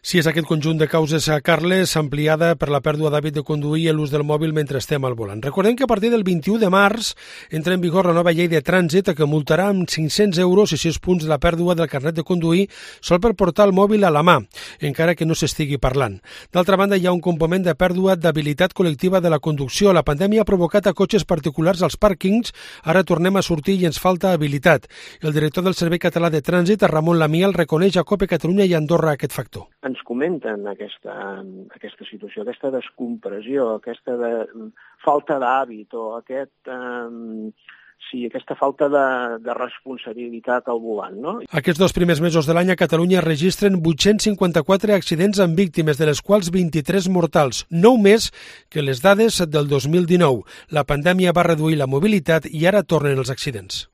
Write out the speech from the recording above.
Sí, és aquest conjunt de causes, Carles, ampliada per la pèrdua d'hàbit de conduir i l'ús del mòbil mentre estem al volant. Recordem que a partir del 21 de març entra en vigor la nova llei de trànsit que multarà amb 500 euros i 6 punts la pèrdua del carnet de conduir sol per portar el mòbil a la mà, encara que no s'estigui parlant. D'altra banda, hi ha un component de pèrdua d'habilitat col·lectiva de la conducció. La pandèmia ha provocat a cotxes particulars als pàrquings, ara tornem a sortir i ens falta habilitat. El director del Servei Català de Trànsit, Ramon Lamiel, reconeix a COPE Catalunya i a Andorra aquest factor. Ens comenten aquesta situació, aquesta descompressió, aquesta falta d'hàbit o aquesta falta de responsabilitat al volant, no? Aquests 2 primers mesos de l'any a Catalunya registren 854 accidents amb víctimes, de les quals 23 mortals, 9 més que les dades del 2019. La pandèmia va reduir la mobilitat i ara tornen els accidents.